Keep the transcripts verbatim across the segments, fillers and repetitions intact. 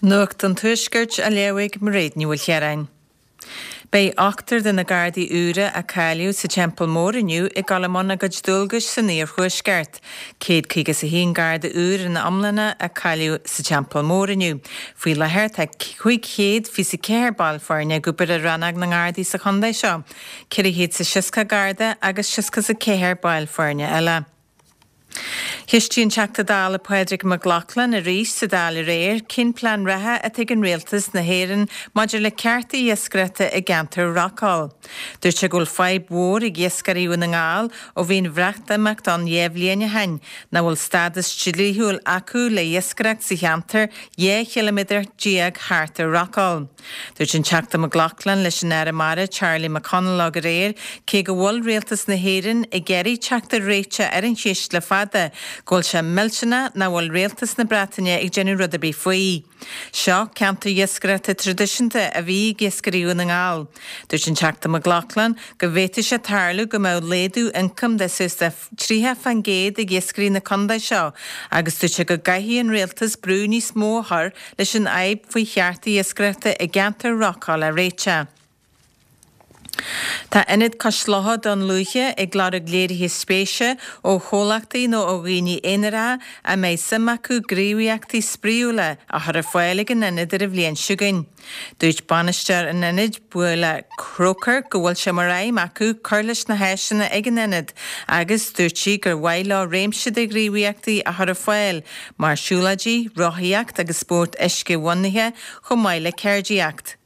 Nuacht an Tuaiscirt á léamh ag Mairéad Ní Mhaoilchiaráin. Beidh ochtar de na Gardaí úra a cáilíodh sa Teampall Mór inniu ag dul i mbun a gcuid dualgais san iarthuaisceart. Céad caoga is a haon Garda úr ina iomláine a cáilíodh sa Teampall Mór inniu. Faoi láthair tá cúig chéad fiche ceathair ball foirne ag obair i rannóg na nGardaí sa chontae seo, ceithre chéad is seasca Garda agus seasca is a ceathair ball foirne eile. Cheistigh an Teachta Dála Pádraig Mac Lochlainn arís sa Dáil aréir cén plean reatha atá ag an Rialtas na hÉireann maidir le cearta iascaireachta i gceantar Rockall. Dúirt sé go bhfuil fadhb mhór ag iascairí Dhún na nGall ó bhí an Bhreatimeacht ann dhá bhliain ó shin, nach bhfuil stádas dlíthiúil acu le iascaireacht sa cheantar dhá chiliméadar déag thart ar Rockall. Dúirt an Teachta Mac Lochlainn leis an Aire Mara Charlie McConalogue aréir cé go bhfuil Rialtas na hÉireann ag iarraidh teacht ar réiteach ar an cheist le fada, go bhfuil sé millteanach nach bhfuil Rialtas na Breataine ag déanamh rud ar bith faoi. Seo ceantar iascaireachta traidisiúnta a bhí ag iascairí Dhún na nGall. Dúirt an Teachta Mac Lochlainn go bhféadfadh sé tarlú go mbeadh laghdú ioncaim de suas de tríocha faoin gcéad ag iascairí na contae seo, agus dúirt sé go gcaithfidh an rialtas brú níos mó a chur leis an fhadhb faoi chearta iascaireachta i gceantar Rockall a réiteach. Tá Ionad Cois Locha Dún Lúiche ag lorg léirithe spéise ó chomhlachtaí nó ó dhaoine aonaracha a mbeidh suim acu gníomhaíochtaí spraíúla a chur ar fáil ag an ionad ar an bhliain seo chugainn. Dúirt bainisteoir an ionaid Buaile Croker go bhfuil sé mar aidhm acu cur leis na háiseanna ag an ionad agus dúirt sí gur mhaith leo réimse de ghníomhaíochtaí a chur ar fáil mar siúlóidí, rothaíocht agus spórt uisce-bhunaithe chomh maith le ceardaíocht.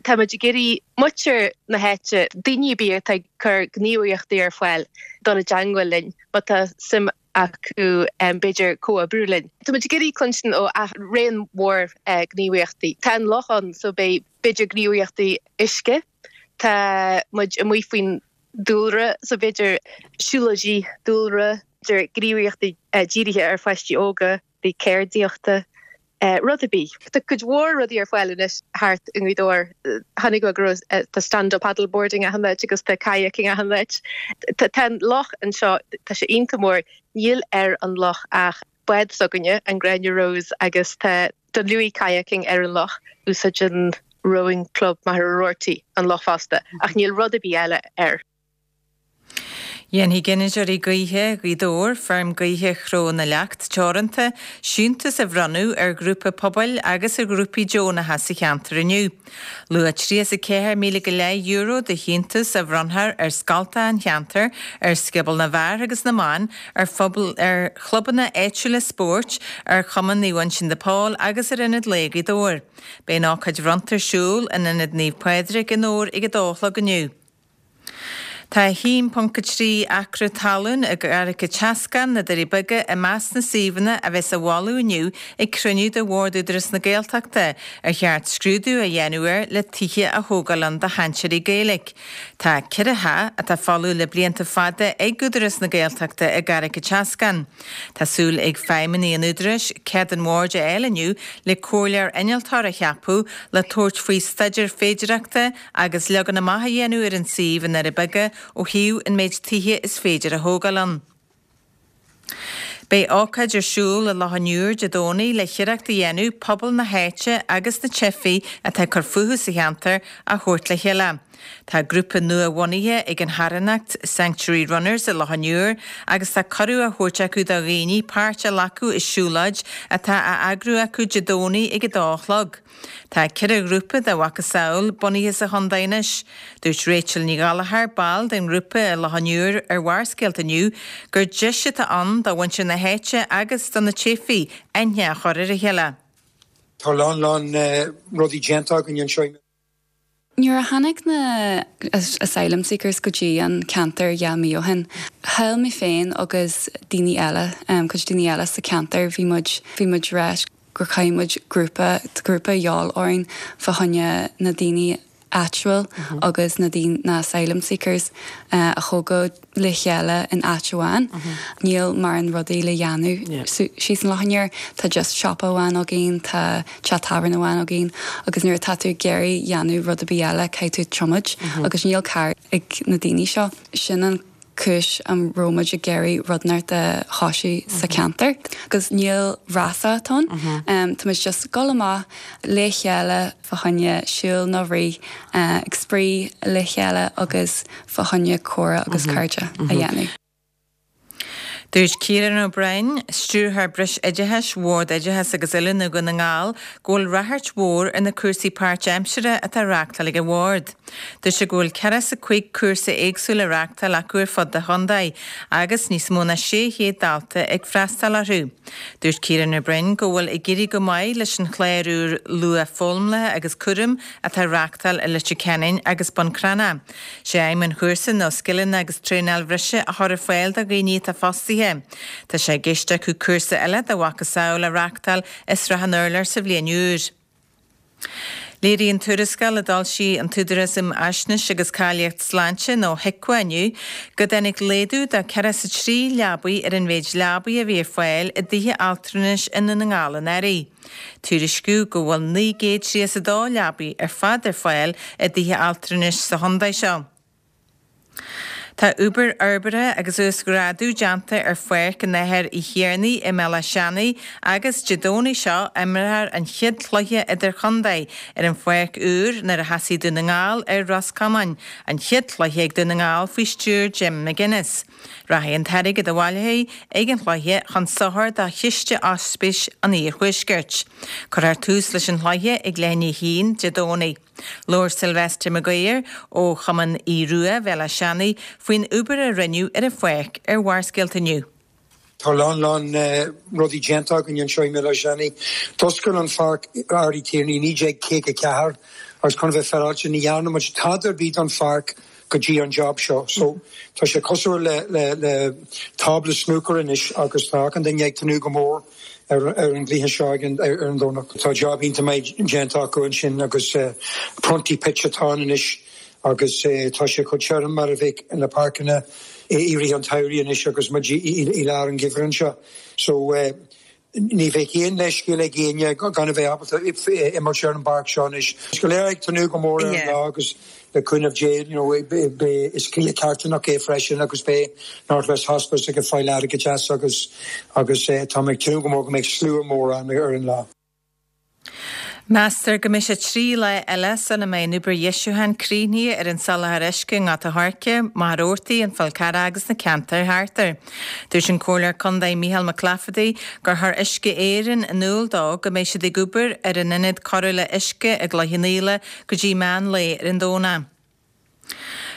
Tá muid ag iarraidh muintir na háite, daoine ar bith atá ag cur gníomhaíochtaí ar fáil dul i dteagmháil linn má tá suim acu b'fhéidir comhoibriú linn. Tá muid ag iarraidh cluinstin ó raon mór gníomhaíochtaí. Tá an loch ann so beidh b'fhéidir gníomhaíochtaí uisce, tá muid amuigh faoin dúlra so b'fhéidir siúlóidí dúlra, b'fhéidir gníomhaíochtaí dírithe ar pháistí óga, ceardaíochta. Rud ar bith. Tá cuid mhór rudaí ar fáil anois thart i nGaoth Dobhair. Chonaic mé go raibh tá stand-up paddle boarding achan áit agus tá kayaking achan áit. Tá an loch anseo, tá sé iontach mór. Níl ar an loch ach bád s'againne, an Gráinne Rose, agus tá Dunlewey Kayaking ar an loch. Úsáideann Rowing Club Machaire Rabhartaigh an loch fosta, ach níl rud ar bith eile air. Dhéanfaidh Gineadóirí Gaoithe Ghaoth Dobhair, Feirm Gaoithe Chró na Leacht Teoranta, siúntas a bhronnadh ar ghrúpa pobail agus ar ghrúpaí deonacha sa cheantar inniu. Luach tríocha is a ceathair míle go leith euro de shiúntas a bhronnfar ar scoltacha an cheantair, ar Scioból na bhFear agus na mBan, ar phobal, ar chlubanna áitiúla spóirt, ar Chumann Naomh Uinseann de Pól agus ar Ionad Lae Ghaoth Dobhair. Beidh an ócáid bhronnta ar siúl in Ionad Naomh Pádraig i nDobhar ag a dó a chlog inniu. Tá a haon ponc a trí acra talún i gCarraig an tSeascáin, na Doirí Beaga, i measc na suíomhanna a bheas á mholadh inniu ag cruinniú de Bhord Údarás na Gaeltachta ar cheart scrúdú a dhéanamh air le tithe a thógáil ann do chainteoirí Gaeilge. Tá ceithre theach atá folamh le blianta fada ag Údarás na Gaeltachta i gCarraig an tSeascáin. Tá súil ag feidhmeannaigh an Údaráis cead an bhoird a fháil inniu le comhairleoir innealtóir a cheapadh le tabhairt faoi staidéar féidearthachta agus leagan amach a dhéanamh ar an suíomh i nDoirí Beaga ó thaobh an méid tithe is féidir a thógáil ann. Beidh ócáid ar siúl i Loch an Iúir Dé Domhnaigh le hiarracht a dhéanamh pobal na háite agus na teifigh atá ag cur fúthu sa cheantar a thabhairt le chéile. Tá grúpa nua-bhunaithe ag an charthanacht Sanctuary Runners i Loch an Iúir agus tá cuireadh á thabhairt acu do dhaoine páirt a ghlacadh i siúlóid atá á eagrú acu Dé Domhnaigh ag a dó a chlog. Tá ceithre ghrúpa dá mhacasamhail bunaithe sa chontae anois. Dúirt Rachel Ní Ghallchóir, ball den ngrúpa i Loch an Iúir ar Bharrscéalta inniu, gur deis atá ann do mhuintir na háite agus do na teifigh aithne a chur ar a chéile. Tá a lán lán rudaí déanta againn anseo. Nuair a tháinig na asylum seekers go dtí an ceantar dhá mí ó shin, shíl mé féin agus daoine eile, cuid daoine eile sa cheantar, bhí muid, bhí muid ag rá gur chaith muid grúpa, grúpa a dhíobháil orainn fá choinne na daoine áitiúil agus na daoine, na asylum seekers a thógáil le chéile in áit amháin. Níl mórán rudaí le dhéanamh síos in Loch an Iúir. Tá just siopa amháin againn, tá teach tábhairne amháin againn agus nuair atá tú ag iarraidh dhéanamh rud ar bith eile caithfidh tú tiomáint agus níl carr ag na daoine seo. Sin an cúis a raibh muid ag iarraidh rud inteacht a thosú sa cheantar. Agus níl rása ann um, Tá muid just go amach le chéile fá choinne siúl nó rith uh, ag spraoi le chéile agus fá choinne comhrá agus cairde a dhéanamh. Dúirt Ciarán O'Brien, Stiúrthóir Breisoideachais, Bhord Oideachais agus Oiliúna Dhún na nGall, go bhfuil ráchairt mhór ar na cúrsaí páirtaimseartha atá á reáchtáil ag an bhord. Dúirt sé go bhfuil ceathracha is a cúig cúrsa éagsúil á reáchtáil acu ar fud an chontae, agus níos mó ná sé chéad dalta ag freastal orthu. Dúirt Ciarán O'Brien go bhfuil ag éirí go maith leis an chlár úr luathfhoghlama agus cúraim atá á reáchtáil i Leitir Ceanainn agus Bun Cranncha. Sé aidhm an chúrsa ná scileanna agus traenáil bhreise a chur ar fáil do dhaoine atá fostaithe. Tá sé i gceist acu cúrsa eile dá mhacasamhail a reáchtáil i Srath an Urláir sa bhliain úr. Léiríonn tuarascáil a d'fhoilsigh an tÚdarás um Fhaisnéis agus Cáilíocht Sláinte nó HIQA inniu go dtáinig laghdú de ceathracha is a trí leabaí ar an mhéid leabaí a bhí ar fáil i dtithe altranais i nDún na nGall anuraidh. Tuairiscíodh go bhfuil naoi gcéad tríocha is a dó leabaí ar fad ar fáil i dtithe altranais sa chontae seo. Tá obair fhorbartha agus uasghrádú déanta ar Pháirc an Athar Uí Thiarnaigh i mBéal Átha Seanaidh agus Dé Domhnaigh seo imreofar an chéad chluiche idirchontae ar an pháirc úr nuair a chasfaidh Dún na nGall ar Ros Comáin, an chéad chluiche ag Dún na nGall faoi stiúir Jim McGuinness. Rachaidh an t-airgead a bhaileofar ag an chluiche chun sochair do Chiste Ospís an Iarthuaiscirt. Cuirfear tús leis an chluiche ag leath i ndiaidh a haon Dé Domhnaigh. Labhair Sylvester Maguire ó Chumann Aodh Rua Bhéal Átha Seanaidh faoin obair a rinneadh ar an pháirc ar Bharrscéalta inniu. Tá lán lán rudaí déanta againn anseo i mBéal Átha Seanaidh. D'oscail an pháirc Ard Uí Tiarnaigh naoi déag caoga ceathair agus chun bheith féaráilte ní dhearna muid tada ar bith don pháirc go dtí an job seo. So tá sé cosúil le le le tábla snooker anois agus tá achan duine ag tnúth go mór ar ar an gcluiche seo ar ar an Domhnach. Tá job iontach maith déanta acu ansin agus uh, prunty pitch atá anois agus uh, tá sé chomh tirim mar a bheadh na páirceanna i rith an tsamhraidh anois agus muid i lár an gheimhridh anseo. So uh, ní bheidh aon leithscéal ag éinne gan a bheith ábalta imirt ar an bpáirc seo anois. Go léir ag tnúth go mór ar an lá agus le cúnamh Dé you know, is cluiche carthanach é freisin agus beidh North West Hospice ag fáil airgead agus agus eh, tá ag tnúth go mór go mbeidh slua mór ann ar an lá. Meastar go mbeidh sé trí lá eile sula mbeidh an obair dheisiúcháin críochnaithe ar an soláthar uisce i nGort an Choirce, Machaire Rabhartaigh, an Fál Carrach agus na ceantair thart air. Dúirt an Comhairleoir Contae Micheál Mac Laifeartaigh gur chuir Uisce Éireann in iúl dó go mbeidh siad ag obair ar an ionad cóireála uisce i gCloich Cheann Fhaola go dtí meán lae ar an Domhnach.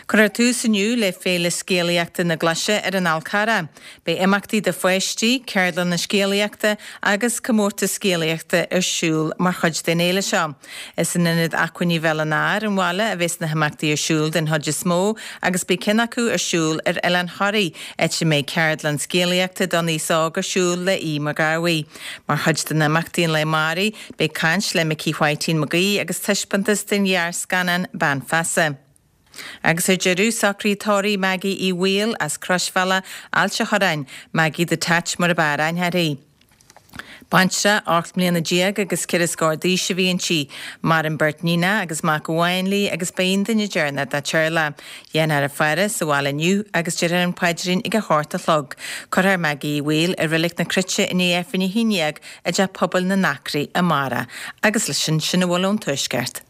Cuirfear tús inniu le Féile Scéalaíochta na Glaise ar an Fhál Carrach. Beidh imeachtaí do pháistí, ceardlanna scéalaíochta agus comórtas scéalaíochta ar siúl mar chuid den fhéile seo. Is in ionad acmhainní Bhéal an Átha ar an bhaile a bheas na himeachtaí ar siúl den chuid is mó agus beidh ceann acu ar siúl ar Oileán Thoraí, áit a mbeidh ceardlann scéalaíochta don aos óg ar siúl le Aodh Mac Garbhaigh. Mar chuid den imeachtaí an lae amárach, beidh caint le Micí Whiteen Mac Aoidh agus taispeántas den ghearrscannán Bean Feasa. Agus ar deireadh socraithe tórraimh Maggie Uí Bhaoill as Croisbhealach Ailt an Chorráin, Maggie the Tatch mar ab fhearr aithne uirthi. Baintreach ocht mbliana déag agus ceithre scór d'aois a bhí inti, maireann beirt níon agus mac amháin léi agus ba í an duine deireanach dá teaghlach. Déanfar a faire sa bhaile inniu agus déarfar an paidrín ag a hocht a chlog. Cuirfear Maggie Uí Bhaoill i Reilig na Cruite i ndiaidh Aifreann a haon déag i dteach pobail na nAcraí amárach, agus leis sin sin a bhfuil ón tuaisceart.